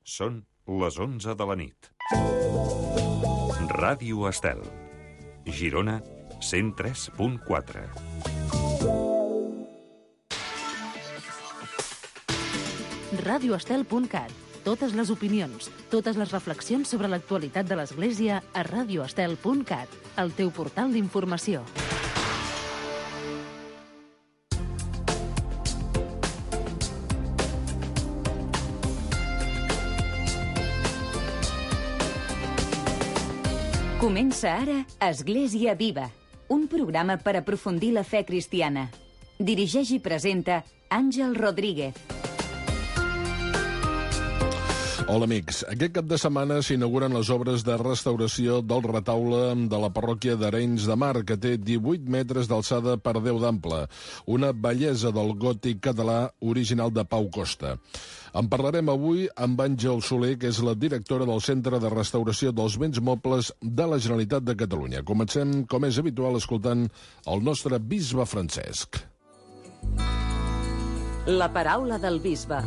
Són les 11 de la nit. Ràdio Estel. Girona, 103.4. radioestel.cat. Totes les opinions, totes les reflexions sobre l'actualitat de l'Església a radioestel.cat, el teu portal d'informació. Comença ara Església Viva, un programa per aprofundir la fe cristiana. Dirigeix i presenta Àngel Rodríguez. Hola, amics. Aquest cap de setmana s'inauguren les obres de restauració del retaule de la parròquia d'Arenys de Mar, que té 18 metres d'alçada per 10 d'ample. Una bellesa del gòtic català original de Pau Costa. En parlarem avui amb Àngel Soler, que és la directora del Centre de Restauració dels Béns Mobles de la Generalitat de Catalunya. Comencem, com és habitual, escoltant el nostre bisbe Francesc. La paraula del bisbe.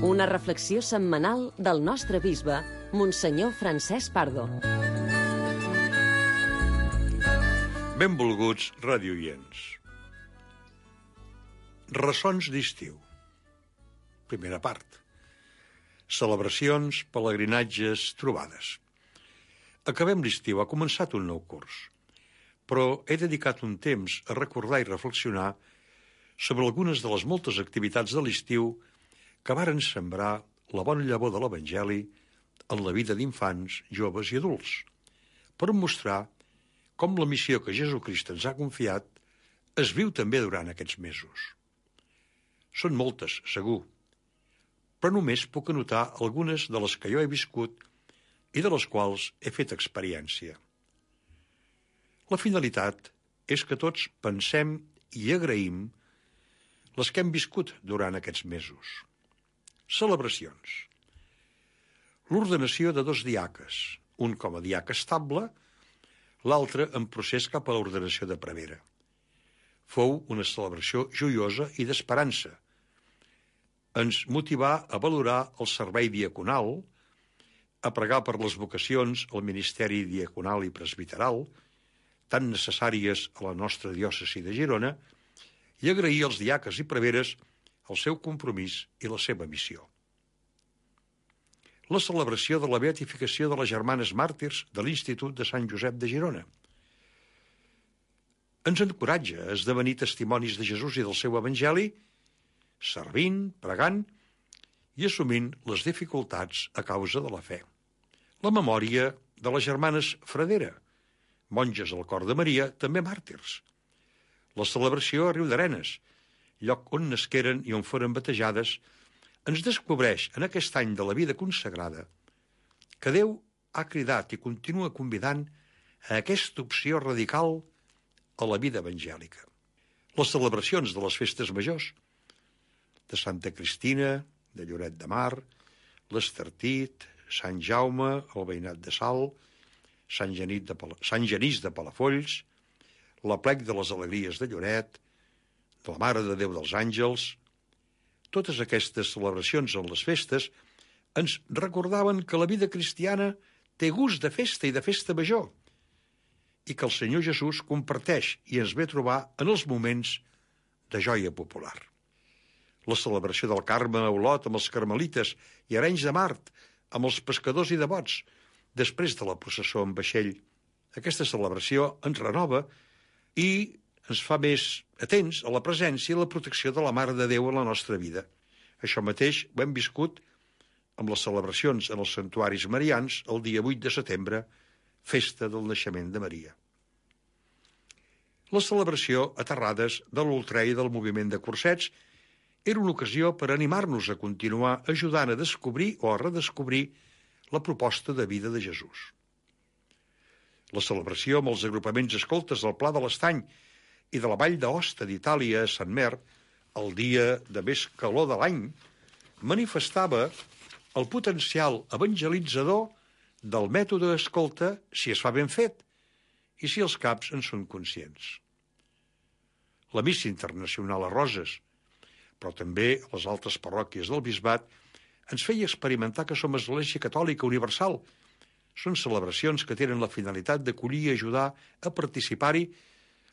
Una reflexió setmanal del nostre bisbe, Monsenyor Francesc Pardo. Benvolguts radioients. Ressons d'estiu. Primera part. Celebracions, pelegrinatges, trobades. Acabem l'estiu, ha començat un nou curs, però he dedicat un temps a recordar i reflexionar sobre algunes de les moltes activitats de l'estiu que varen sembrar la bona llavor de l'Evangeli en la vida d'infants, joves i adults, per mostrar com la missió que Jesucrist ens ha confiat es viu també durant aquests mesos. Són moltes, segur, però només puc anotar algunes de les que jo he viscut i de les quals he fet experiència. La finalitat és que tots pensem i agraïm les que hem viscut durant aquests mesos. Celebracions. L'ordenació de 2 diaques, un com a diaca estable, l'altre en procés cap a l'ordenació de prevera. Fou una celebració joiosa i d'esperança. Ens motivà a valorar el servei diaconal, a pregar per les vocacions al ministeri diaconal i presbiteral, tan necessàries a la nostra diòcesi de Girona, i agrair als diaques i preveres el seu compromís i la seva missió. La celebració de la beatificació de les germanes màrtirs de l'Institut de Sant Josep de Girona. Ens encoratja a esdevenir testimonis de Jesús i del seu Evangeli, servint, pregant i assumint les dificultats a causa de la fe. La memòria de les germanes Fradera, monges al cor de Maria, també màrtirs. La celebració a Riudarenes, lloc on nasqueren i on foren batejades, ens descobreix en aquest any de la vida consagrada que Déu ha cridat i continua convidant a aquesta opció radical a la vida evangèlica. Les celebracions de les festes majors, de Santa Cristina, de Lloret de Mar, l'Estartit, Sant Jaume, el Veïnat de Salt, Sant Genís de Palafolls, la plec de les Alegries de Lloret, de la Mare de Déu dels Àngels. Totes aquestes celebracions en les festes ens recordaven que la vida cristiana té gust de festa i de festa major i que el Senyor Jesús comparteix i ens ve a trobar en els moments de joia popular. La celebració del Carme a Olot amb els carmelites i Arenys de Mar amb els pescadors i devots després de la processó en vaixell. Aquesta celebració ens renova i ens fa més atents a la presència i la protecció de la Mare de Déu en la nostra vida. Això mateix ho hem viscut amb les celebracions en els santuaris marians el dia 8 de setembre, festa del naixement de Maria. La celebració a Terrades de l'Ultrà i del moviment de cursets era una ocasió per animar-nos a continuar ajudant a descobrir o a redescobrir la proposta de vida de Jesús. La celebració amb els agrupaments escoltes del Pla de l'Estany i de la Vall d'Aosta d'Itàlia a Sant Mer, el dia de més calor de l'any, manifestava el potencial evangelitzador del mètode escolta si es fa ben fet i si els caps en són conscients. La missa internacional a Roses, però també a les altres parròquies del bisbat, ens feia experimentar que som Església Catòlica Universal. Són celebracions que tenen la finalitat d'acollir i ajudar a participar-hi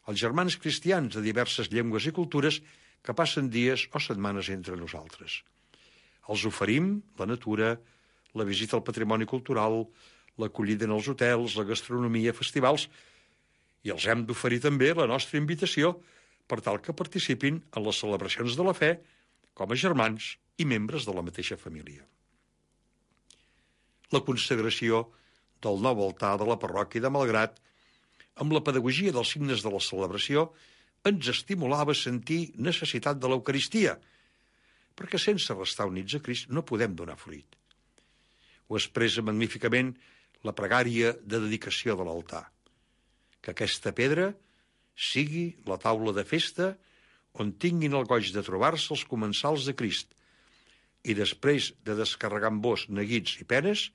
els germans cristians de diverses llengües i cultures que passen dies o setmanes entre nosaltres. Els oferim la natura, la visita al patrimoni cultural, l'acollida en els hotels, la gastronomia, festivals, i els hem d'oferir també la nostra invitació per tal que participin en les celebracions de la fe com a germans i membres de la mateixa família. La consagració del nou altar de la parròquia de Malgrat, amb la pedagogia dels signes de la celebració, ens estimulava a sentir necessitat de l'Eucaristia, perquè sense restar units a Crist no podem donar fruit. Ho expressa magníficament la pregària de dedicació de l'altar. Que aquesta pedra sigui la taula de festa on tinguin el goig de trobar-se els comensals de Crist i després de descarregar amb vos neguits i penes,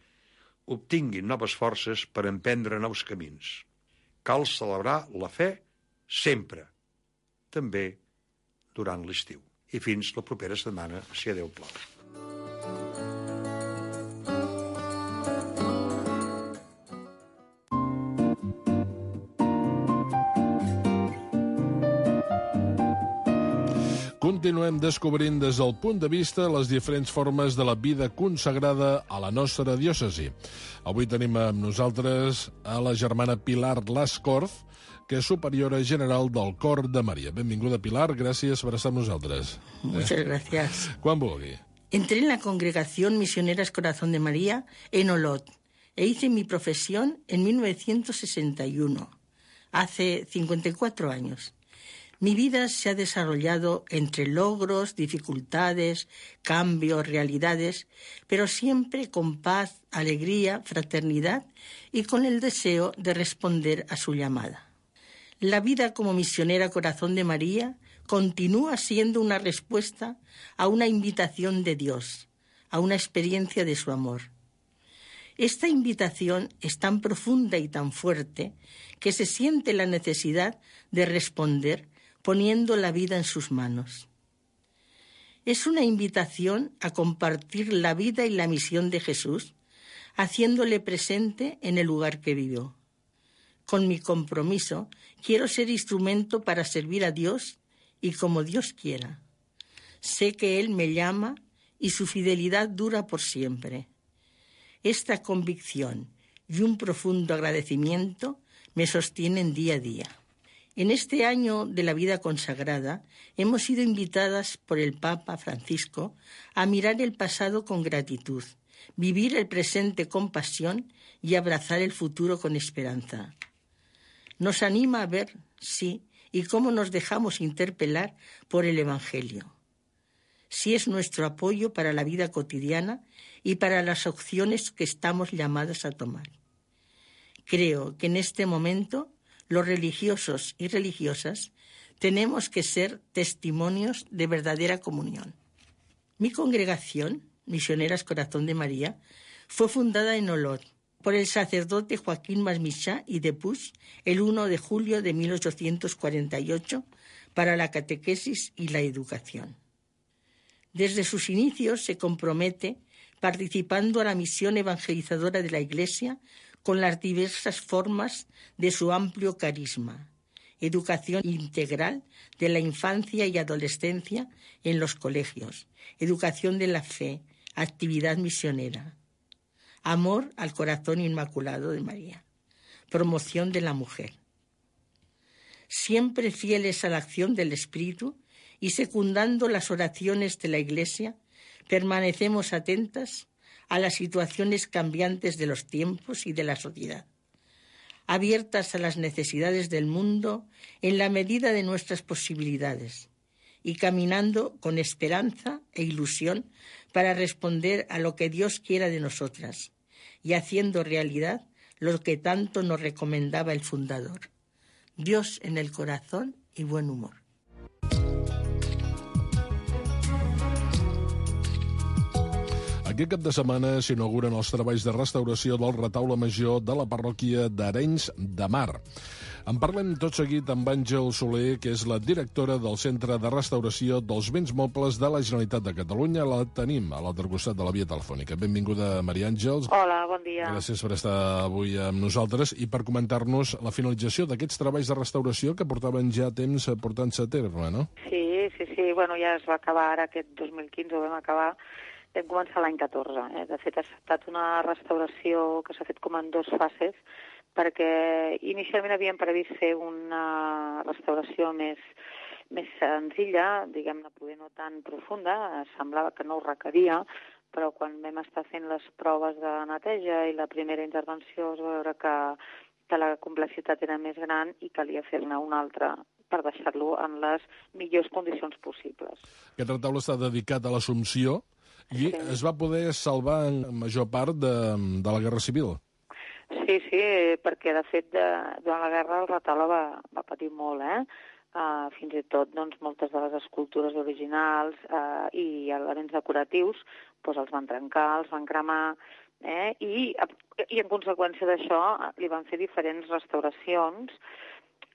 obtinguin noves forces per emprendre nous camins. Cal celebrar la fe sempre, també durant l'estiu. I fins la propera setmana, si a Déu plau. Continuem descobrint des del punt de vista les diferents formes de la vida consagrada a la nostra diòcesi. Avui tenim amb nosaltres a la germana Pilar Lascorz, que és superiora general del Cor de Maria. Benvinguda, Pilar, gràcies per estar amb nosaltres. Muchas gracias. Quan vulgui. Entré en la Congregación Misioneras Corazón de María en Olot e hice mi profesión en 1961, hace 54 años. Mi vida se ha desarrollado entre logros, dificultades, cambios, realidades, pero siempre con paz, alegría, fraternidad y con el deseo de responder a su llamada. La vida como misionera Corazón de María continúa siendo una respuesta a una invitación de Dios, a una experiencia de su amor. Esta invitación es tan profunda y tan fuerte que se siente la necesidad de responder poniendo la vida en sus manos. Es una invitación a compartir la vida y la misión de Jesús, haciéndole presente en el lugar que vivió. Con mi compromiso, quiero ser instrumento para servir a Dios y como Dios quiera. Sé que Él me llama y su fidelidad dura por siempre. Esta convicción y un profundo agradecimiento me sostienen día a día. En este año de la vida consagrada hemos sido invitadas por el Papa Francisco a mirar el pasado con gratitud, vivir el presente con pasión y abrazar el futuro con esperanza. Nos anima a ver, sí, y cómo nos dejamos interpelar por el Evangelio. Sí es nuestro apoyo para la vida cotidiana y para las opciones que estamos llamadas a tomar. Creo que en este momento los religiosos y religiosas tenemos que ser testimonios de verdadera comunión. Mi congregación, Misioneras Corazón de María, fue fundada en Olot por el sacerdote Joaquín Masmichá y de Puig el 1 de julio de 1848 para la catequesis y la educación. Desde sus inicios se compromete participando a la misión evangelizadora de la Iglesia con las diversas formas de su amplio carisma, educación integral de la infancia y adolescencia en los colegios, educación de la fe, actividad misionera, amor al corazón inmaculado de María, promoción de la mujer. Siempre fieles a la acción del Espíritu y secundando las oraciones de la Iglesia, permanecemos atentas a las situaciones cambiantes de los tiempos y de la sociedad, abiertas a las necesidades del mundo en la medida de nuestras posibilidades y caminando con esperanza e ilusión para responder a lo que Dios quiera de nosotras y haciendo realidad lo que tanto nos recomendaba el fundador: Dios en el corazón y buen humor. Aquest cap de setmana s'inauguren els treballs de restauració del retaule major de la parròquia d'Arenys de Mar. En parlem tot seguit amb Àngel Soler, que és la directora del Centre de Restauració dels Béns Mobles de la Generalitat de Catalunya. La tenim a l'altre costat de la via telefònica. Benvinguda, Maria Àngels. Hola, bon dia. Gràcies per estar avui amb nosaltres i per comentar-nos la finalització d'aquests treballs de restauració que portaven ja temps portant-se a terme, no? Sí. Bueno, ja es va acabar ara aquest 2015, ho vam acabar. Vam començar l'any 14. De fet, ha estat una restauració que s'ha fet com en 2 fases, perquè inicialment havíem previst fer una restauració més senzilla, diguem-ne, poder no tan profunda, semblava que no ho requeria, però quan vam estar fent les proves de neteja i la primera intervenció es va veure que la complexitat era més gran i calia fer-ne una altra per deixar-lo en les millors condicions possibles. Aquest retaule està dedicat a l'Assumpció i es va poder salvar en major part de la Guerra Civil. Sí, perquè de fet durant la guerra el retaule va patir molt, fins i tot doncs, moltes de les escultures originals i elements decoratius doncs, els van trencar, els van cremar, i en conseqüència d'això li van fer diferents restauracions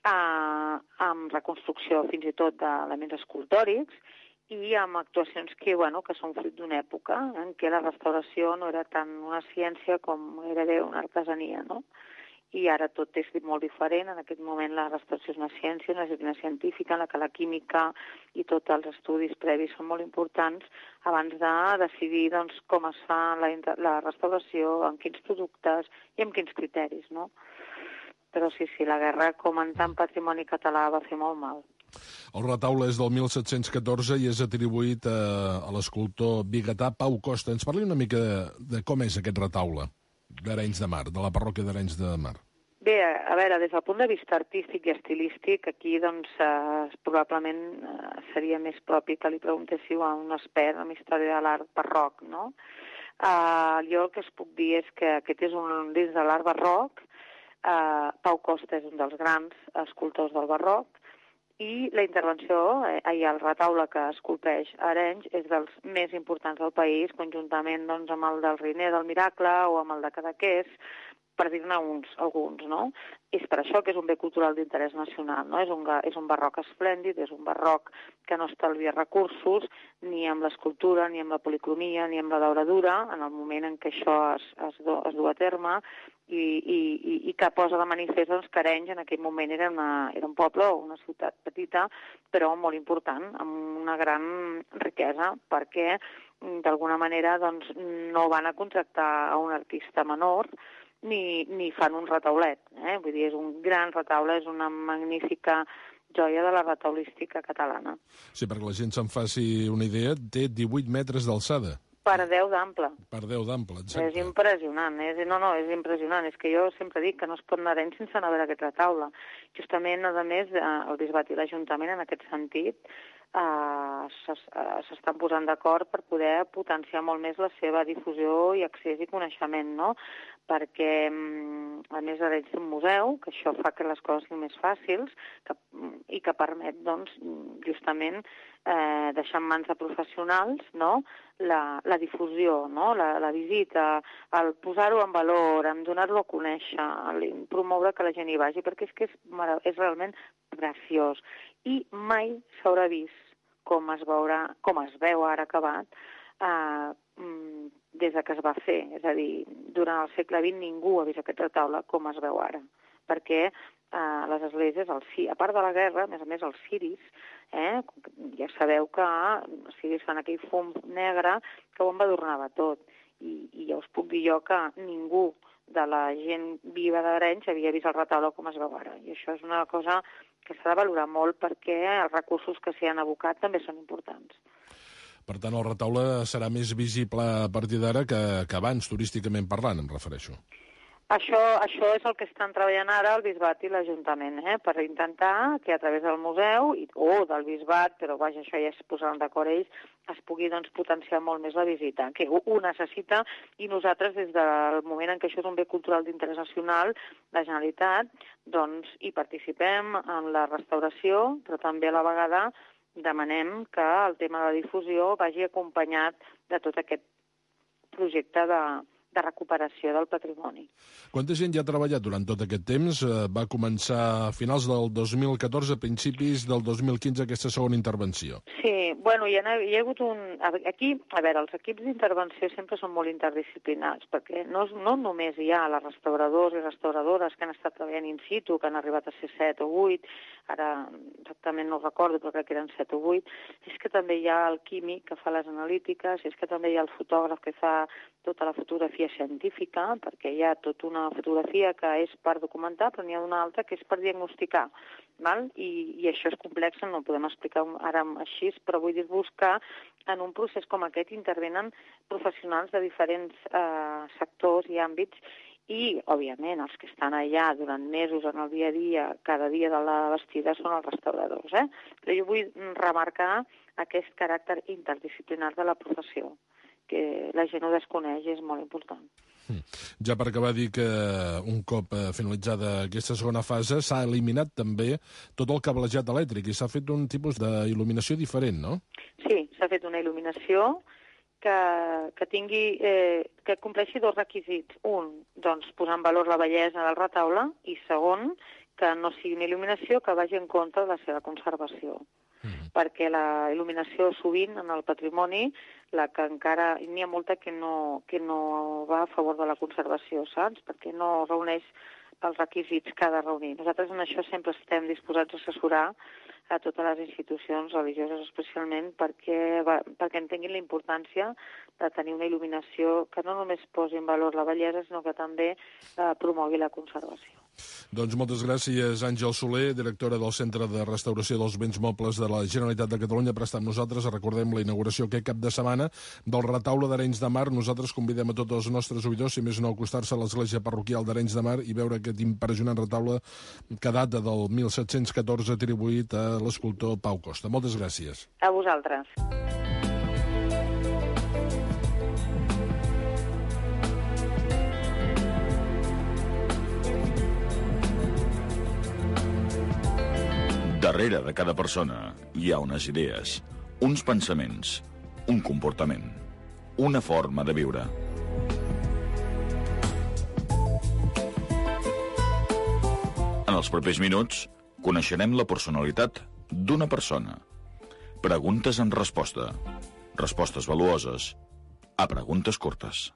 amb reconstrucció fins i tot d'elements escultòrics i amb actuacions que són fruit d'una època en què la restauració no era tant una ciència com era una artesania, no? I ara tot és molt diferent. En aquest moment la restauració és una ciència, una disciplina científica en la que la química i tots els estudis previs són molt importants abans de decidir doncs, com es fa la restauració, amb quins productes i amb quins criteris, no? Però sí, la guerra, com en tant patrimoni català, va fer molt mal. El retaule és del 1714 i és atribuït a l'escultor biguetà Pau Costa. Ens parli una mica de com és aquest retaule d'Arenys de Mar, de la parròquia d'Arenys de Mar. Bé, a veure, des del punt de vista artístic i estilístic, aquí doncs probablement seria més propi que li preguntéssiu a un expert en història de l'art barroc, no? Jo el que es puc dir és que aquest és dins de l'art barroc. Pau Costa és un dels grans escultors del barroc i la intervenció, el retaule que esculpeix a Arenys és dels més importants del país, conjuntament doncs, amb el del Riner del Miracle o amb el de Cadaqués, per dir-ne alguns, no? És per això que és un bé cultural d'interès nacional, no? És un barroc esplèndid, és un barroc que no estalvia recursos ni amb l'escultura, ni amb la policromia, ni amb la dauradura, en el moment en què això es du a terme, i que posa de manifest doncs, que Arenys en aquell moment era un poble o una ciutat petita, però molt important, amb una gran riquesa, perquè d'alguna manera doncs, no van a contractar a un artista menor, ni fan un retaulet. Vull dir, és un gran retaule, és una magnífica joia de la retaulística catalana. Sí, perquè la gent se'n faci una idea, té 18 metres d'alçada. Per 10 d'ample. Per 10 d'ample, exacte. És impressionant, és impressionant. És que jo sempre dic que no es pot anar a Arenys sense anar a veure aquest retaule. Justament, a més, el Bisbat i l'Ajuntament, en aquest sentit, s'estan posant d'acord per poder potenciar molt més la seva difusió i accés i coneixement, no? Perquè, a més, Arenys té un museu, que això fa que les coses siguin més fàcils i que permet, doncs, justament, deixar en mans de professionals, no?, la difusió, no?, la visita, el posar-ho en valor, en donar-lo a conèixer, promoure que la gent hi vagi, perquè és que és realment preciós. I mai s'haurà vist com es veu ara acabat, des que es va fer. És a dir, durant el segle XX ningú ha vist aquest retaule com es veu ara, perquè les esglésies, a part de la guerra, a més els ciris, ja sabeu que els ciris fan aquell fum negre que ho embadurnava tot. I ja us puc dir jo que ningú de la gent viva d'Arenys havia vist el retaule com es veu ara. I això és una cosa que s'ha de valorar molt perquè els recursos que s'hi han abocat també són importants. Per tant, el retaule serà més visible a partir d'ara que abans, turísticament parlant, em refereixo. Això és el que estan treballant ara el Bisbat i l'Ajuntament, per intentar que a través del museu o del Bisbat, però vaja, això ja es posaran d'acord ells, es pugui doncs, potenciar molt més la visita, que ho necessita, i nosaltres des del moment en què això és un bé cultural d'interès nacional, la Generalitat, doncs hi participem en la restauració, però també a la vegada demanem que el tema de la difusió vagi acompanyat de tot aquest projecte de recuperació del patrimoni. Quanta gent ja ha treballat durant tot aquest temps? Va començar a finals del 2014, a principis del 2015, aquesta segona intervenció. Sí, bueno, hi ha hagut Aquí, a veure, els equips d'intervenció sempre són molt interdisciplinars, perquè no només hi ha les restauradors i restauradores que han estat treballant in situ, que han arribat a ser 7 o 8, ara exactament no ho recordo, però crec que eren 7 o 8, és que també hi ha el químic que fa les analítiques, és que també hi ha el fotògraf que fa tota la fotografia científica, perquè hi ha tota una fotografia que és per documentar, però n'hi ha una altra que és per diagnosticar, val? I això és complex, no ho podem explicar ara així, però vull dir-vos que en un procés com aquest intervenen professionals de diferents sectors i àmbits i, òbviament, els que estan allà durant mesos en el dia a dia, cada dia de la vestida, són els restauradors. Però jo vull remarcar aquest caràcter interdisciplinar de la professió, que la gent ho desconeix i és molt important. Ja per acabar, dir que un cop finalitzada aquesta segona fase s'ha eliminat també tot el cablejat elèctric i s'ha fet un tipus d'il·luminació diferent, no? Sí, s'ha fet una il·luminació que compleixi dos requisits. Un, doncs, posar en valor la bellesa del retaule i segon, que no sigui una il·luminació que vagi en contra de la seva conservació. Perquè la il·luminació sovint en el patrimoni, la que encara n'hi ha molta que no va a favor de la conservació, saps? Perquè no reuneix els requisits que ha de reunir. Nosaltres en això sempre estem disposats a assessorar a totes les institucions religioses especialment perquè entenguin la importància de tenir una il·luminació que no només posi en valor la bellesa, sinó que també promogui la conservació. Doncs moltes gràcies, Àngel Soler, directora del Centre de Restauració dels Béns Mobles de la Generalitat de Catalunya, per estar amb nosaltres. Recordem la inauguració aquest cap de setmana del retaule d'Arenys de Mar. Nosaltres convidem a tots els nostres oïdors, si més no, a acostar-se a l'església parroquial d'Arenys de Mar i veure aquest impressionant retaule que data del 1714 atribuït a l'escultor Pau Costa. Moltes gràcies. A vosaltres. Darrere de cada persona hi ha unes idees, uns pensaments, un comportament, una forma de viure. En els propers minuts coneixerem la personalitat d'una persona. Preguntes en resposta. Respostes valuoses a preguntes curtes.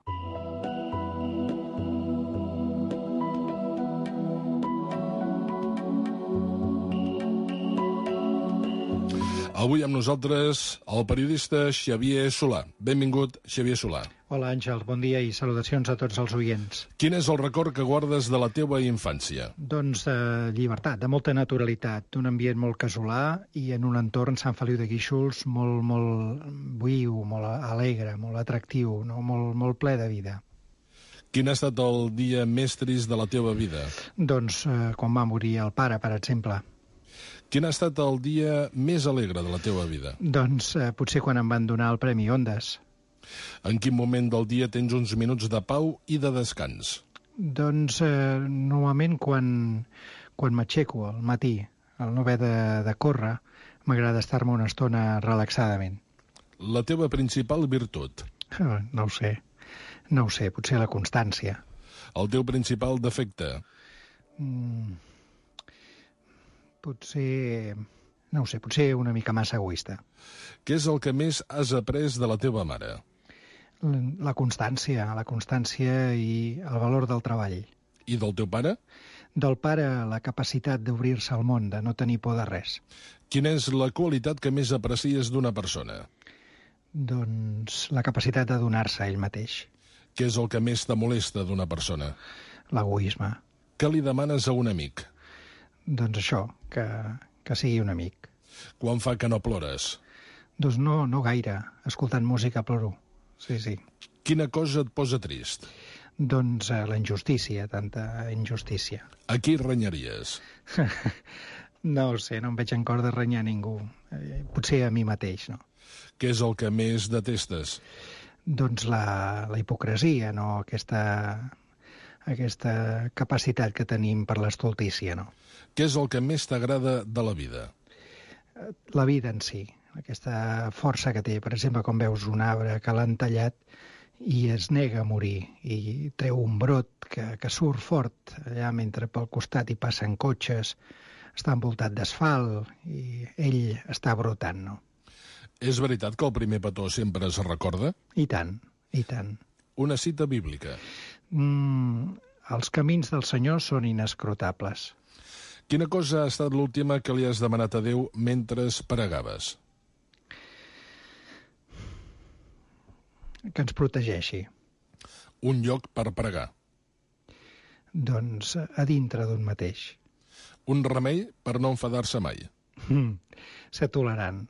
Avui amb nosaltres el periodista Xavier Solà. Benvingut, Xavier Solà. Hola, Àngel. Bon dia i salutacions a tots els oients. Quin és el record que guardes de la teva infància? Doncs de llibertat, de molta naturalitat, d'un ambient molt casolà i en un entorn, Sant Feliu de Guíxols, molt viu, molt alegre, molt atractiu, no? molt ple de vida. Quin ha estat el dia més trist de la teva vida? Doncs quan va morir el pare, per exemple. Quin ha estat el dia més alegre de la teva vida? Doncs potser quan em van donar el Premi Ondas. En quin moment del dia tens uns minuts de pau i de descans? Doncs normalment quan m'aixeco al matí, al no haver de córrer, m'agrada estar-me una estona relaxadament. La teva principal virtut? No ho sé, potser la constància. El teu principal defecte? Potser una mica massa egoista. Què és el que més has après de la teva mare? La constància i el valor del treball. I del teu pare? Del pare, la capacitat d'obrir-se al món, de no tenir por de res. Quina és la qualitat que més aprecies d'una persona? Doncs la capacitat de donar-se a ell mateix. Què és el que més te molesta d'una persona? L'egoisme. Què li demanes a un amic? Doncs això, que sigui un amic. Quan fa que no plores? Doncs no gaire. Escoltant música ploro. Sí. Quina cosa et posa trist? Doncs la injustícia, tanta injustícia. A qui renyaries? No ho sé, no em veig en cor de renyar ningú. Potser a mi mateix, no? Què és el que més detestes? Doncs la hipocresia, no? Aquesta capacitat que tenim per l'estoltícia, no? Què és el que més t'agrada de la vida? La vida en si, aquesta força que té. Per exemple, quan veus un arbre que l'han tallat i es nega a morir i treu un brot que surt fort allà mentre pel costat hi passen cotxes, està envoltat d'asfalt i ell està brotant, no? És veritat que el primer petó sempre es recorda? I tant, i tant. Una cita bíblica. Els camins del Senyor són inescrutables. Quina cosa ha estat l'última que li has demanat a Déu mentre pregaves? Que ens protegeixi. Un lloc per pregar. Doncs a dintre d'un mateix. Un remei per no enfadar-se mai. Ser tolerant.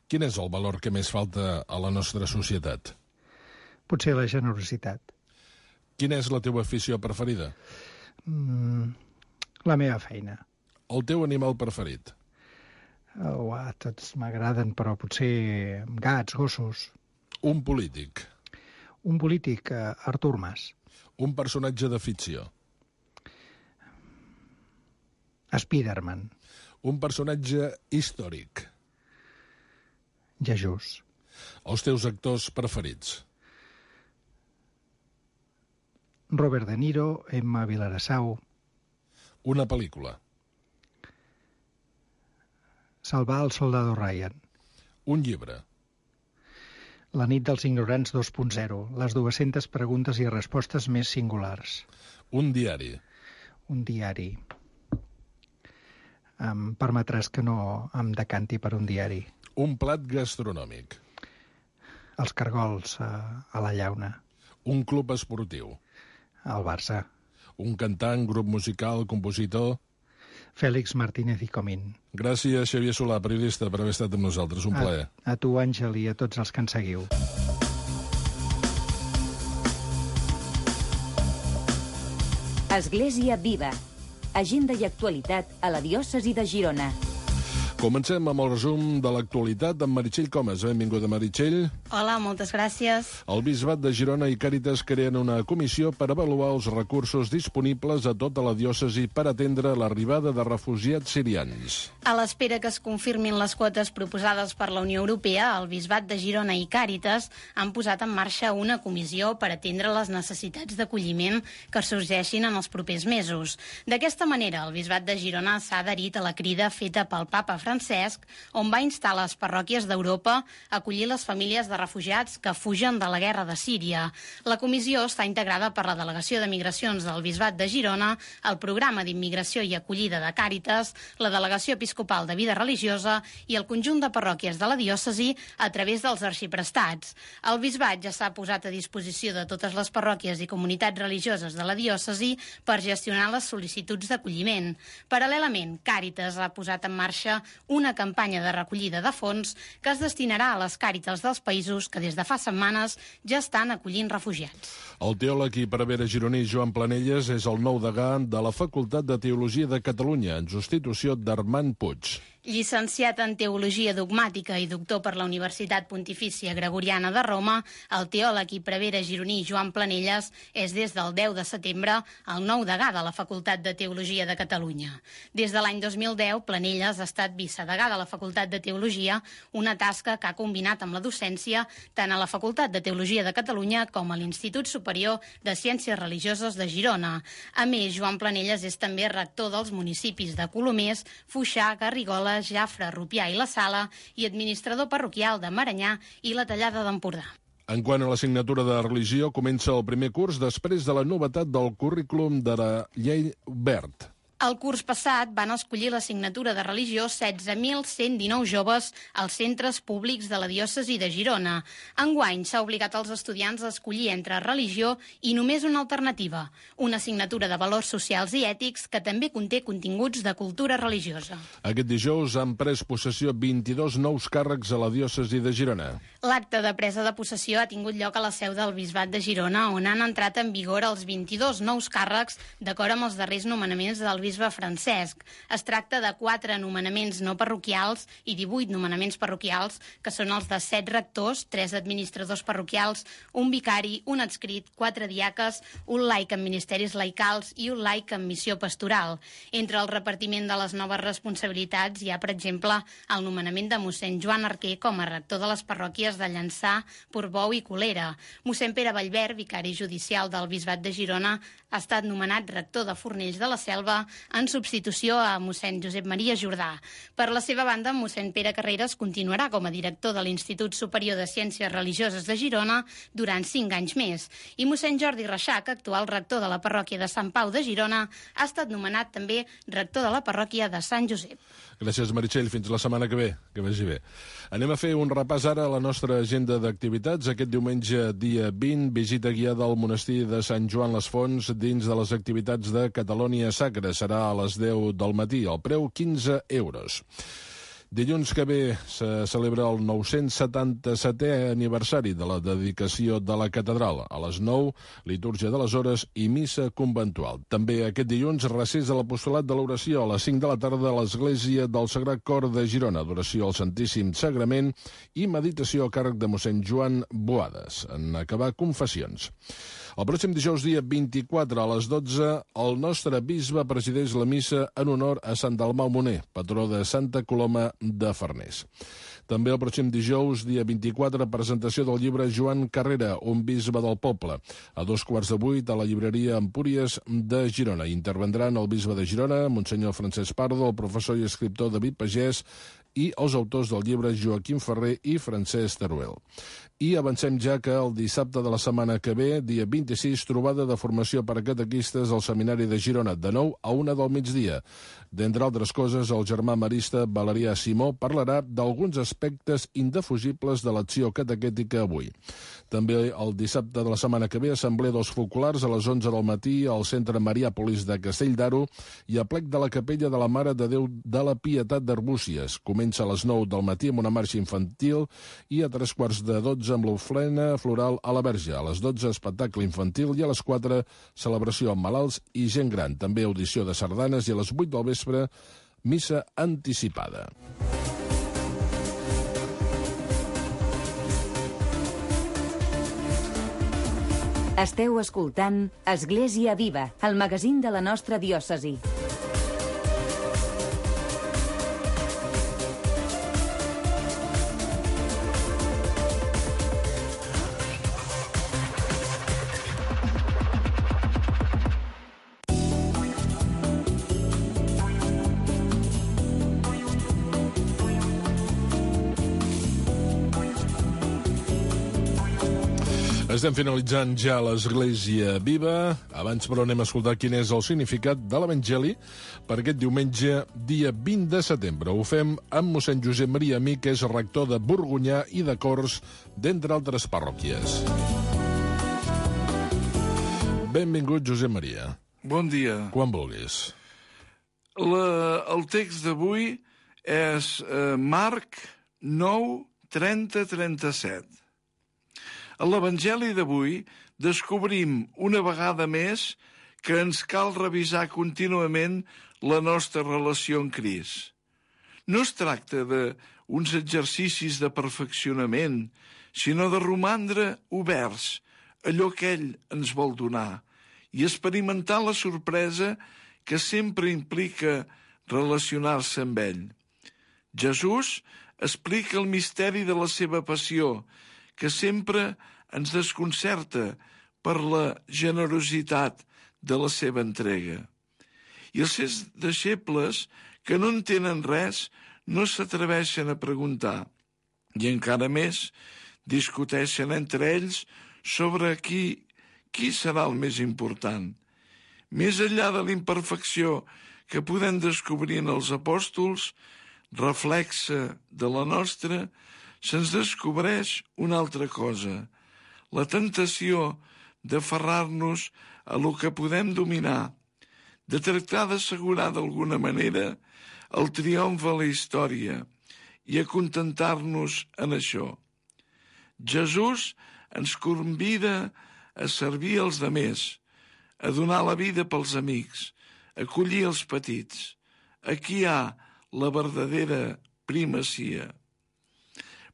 Quin és el valor que més falta a la nostra societat? Potser la generositat. Quina és la teva afició preferida? La meva feina. El teu animal preferit? Tots m'agraden, però potser gats, gossos. Un polític? Un polític, Artur Mas. Un personatge de ficció? Spiderman. Un personatge històric? Jesús. Els teus actors preferits? Robert De Niro, Emma Vilarassau. Una pel·lícula? Salvar el soldado Ryan. Un llibre? La nit dels ignorants 2.0. Les 200 preguntes i respostes més singulars. Un diari? Un diari. Em permetràs que no em decanti per un diari. Un plat gastronòmic? Els cargols a la llauna. Un club esportiu? El Barça. Un cantant, grup musical, compositor? Fèlix Martínez i Comín. Gràcies, Xavier Solà, periodista, per haver estat amb nosaltres. Un plaer. A tu, Àngel, i a tots els que ens seguiu. Església Viva. Agenda i actualitat a la diòcesi de Girona. Comencem amb el resum de l'actualitat amb Meritxell Comas. Benvinguda, Meritxell. Hola, moltes gràcies. El Bisbat de Girona i Càritas creen una comissió per avaluar els recursos disponibles a tota la diòcesi per atendre l'arribada de refugiats sirians. A l'espera que es confirmin les quotes proposades per la Unió Europea, el Bisbat de Girona i Càritas han posat en marxa una comissió per atendre les necessitats d'acolliment que sorgeixin en els propers mesos. D'aquesta manera, el Bisbat de Girona s'ha adherit a la crida feta pel Papa Francesc, on va instar les parròquies d'Europa a acollir les famílies de refugiats que fugen de la guerra de Síria. La comissió està integrada per la Delegació de Migracions del Bisbat de Girona, el Programa d'Immigració i Acollida de Càritas, la Delegació Episcopal de Vida Religiosa i el conjunt de parròquies de la diòcesi a través dels arxiprestats. El Bisbat ja s'ha posat a disposició de totes les parròquies i comunitats religioses de la diòcesi per gestionar les sol·licituds d'acolliment. Paral·lelament, Càritas ha posat en marxa una campanya de recollida de fons que es destinarà a les càritas dels països que des de fa setmanes ja estan acollint refugiats. El teòleg i prevere gironí Joan Planelles és el nou degà de la Facultat de Teologia de Catalunya, en substitució d'Armand Puig. Llicenciat en Teologia Dogmàtica i doctor per la Universitat Pontifícia Gregoriana de Roma, el teòleg i prevere gironí Joan Planelles és des del 10 de setembre el nou degà de la Facultat de Teologia de Catalunya. Des de l'any 2010, Planelles ha estat vicedegà de la Facultat de Teologia, una tasca que ha combinat amb la docència tant a la Facultat de Teologia de Catalunya com a l'Institut Superior de Ciències Religioses de Girona. A més, Joan Planelles és també rector dels municipis de Colomers, Foixà, Garrigoles, Jafre, Rupià i la Sala i administrador parroquial de Maranyà i la Tallada d'Empordà. En quant a l'assignatura de religió, comença el primer curs després de la novetat del currículum de la llei Wert. El curs passat van escollir l'assignatura de religió 16.119 joves als centres públics de la diòcesi de Girona. Enguany s'ha obligat als estudiants a escollir entre religió i només una alternativa, una assignatura de valors socials i ètics que també conté continguts de cultura religiosa. Aquest dijous han pres possessió 22 nous càrrecs a la diòcesi de Girona. L'acte de presa de possessió ha tingut lloc a la seu del Bisbat de Girona, on han entrat en vigor els 22 nous càrrecs d'acord amb els darrers nomenaments del l'arquebisbe Francesc. Es tracta de 4 nomenaments no parroquials i 18 nomenaments parroquials, que són els de 7 rectors, 3 administradors parroquials, un vicari, un adscrit, 4 diaques, un laic en ministeris laicals i un laic en missió pastoral. Entre el repartiment de les noves responsabilitats hi ha, per exemple, el nomenament de mossèn Joan Arquer com a rector de les parròquies de Llançà, Portbou i Colera. Mossèn Pere Vallverd, vicari judicial del Bisbat de Girona, ha estat nomenat rector de Fornells de la Selva en substitució a mossèn Josep Maria Jordà. Per la seva banda, mossèn Pere Carreras continuarà com a director de l'Institut Superior de Ciències Religioses de Girona durant 5 anys més. I mossèn Jordi Reixac, actual rector de la parròquia de Sant Pau de Girona, ha estat nomenat també rector de la parròquia de Sant Josep. Gràcies, Meritxell. Fins la setmana que ve. Que vagi bé. Anem a fer un repàs ara a la nostra agenda d'activitats. Aquest diumenge, dia 20, visita guiada al monestir de Sant Joan les Fonts dins de les activitats de Catalònia Sacra. Serà a les 10 del matí. El preu, 15 euros. Dilluns que ve se celebra el 977è aniversari de la dedicació de la catedral. A les 9, litúrgia de les hores i missa conventual. També aquest dilluns, recés de l'apostolat de l'oració a les 5 de la tarda a l'Església del Sagrat Cor de Girona. Adoració al Santíssim Sagrament i meditació a càrrec de mossèn Joan Boades. En acabar, confessions. El pròxim dijous, dia 24, a les 12, el nostre bisbe presideix la missa en honor a Sant Dalmau Moner, patró de Santa Coloma de Farners. També el pròxim dijous, dia 24, presentació del llibre Joan Carrera, un bisbe del poble. A 7:15 a la llibreria Empúries de Girona. Intervendran el bisbe de Girona, monsenyor Francesc Pardo, el professor i escriptor David Pagès i els autors del llibre Joaquim Ferrer i Francesc Teruel. I avancem ja que el dissabte de la setmana que ve, dia 26, trobada de formació per a catequistes al Seminari de Girona, de 9 a 1 del migdia. D'entre altres coses, el germà marista Valerià Simó parlarà d'alguns aspectes indefugibles de l'acció catequètica avui. També el dissabte de la setmana que ve, assemblea dels focolars a les 11 del matí al Centre Mariàpolis de Castell d'Aro i a plec de la Capella de la Mare de Déu de la Pietat d'Arbúcies. Comença a les 9 del matí amb una marxa infantil i a 3:15 amb l'ofrena floral a la Verge. A les 12, espectacle infantil i a les 4, celebració amb malalts i gent gran. També audició de sardanes i a les 8 del vespre, missa anticipada. Esteu escoltant Església Viva, el magazín de la nostra diòcesi. Estem finalitzant ja l'Església Viva. Abans, però, anem a escoltar quin és el significat de l'Evangeli per aquest diumenge, dia 20 de setembre. Ho fem amb mossèn Josep Maria Amí, que és rector de Borgonyà i de Corts, d'entre altres parròquies. Benvingut, Josep Maria. Bon dia. Quan vulguis. El text d'avui és Marc 9, 30-37. A l'Evangeli d'avui descobrim una vegada més que ens cal revisar contínuament la nostra relació amb Crist. No es tracta d'uns exercicis de perfeccionament, sinó de romandre oberts a allò que ell ens vol donar i experimentar la sorpresa que sempre implica relacionar-se amb ell. Jesús explica el misteri de la seva passió, que sempre ens desconcerta per la generositat de la seva entrega. I els seus deixebles, que no entenen res, no s'atreveixen a preguntar, i encara més discuteixen entre ells sobre qui serà el més important. Més enllà de l'imperfecció que podem descobrir en els apòstols, reflexa de la nostra, se'ns descobreix una altra cosa, la tentació d'aferrar-nos a lo que podem dominar, de tractar d'assegurar d'alguna manera el triomf a la història i acontentar-nos en això. Jesús ens convida a servir els demés, a donar la vida pels amics, acollir els petits. Aquí hi ha la verdadera primacia.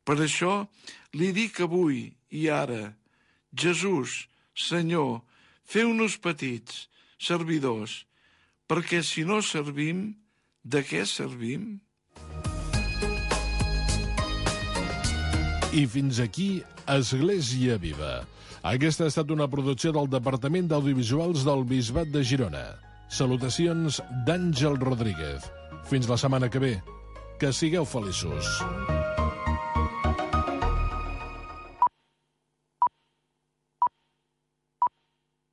Per això li dic avui i ara: Jesús, Senyor, feu-nos petits, servidors, perquè si no servim, de què servim? I fins aquí Església Viva. Aquesta ha estat una producció del Departament d'Audiovisuals del Bisbat de Girona. Salutacions d'Àngel Rodríguez. Fins la setmana que ve. Que sigueu feliços.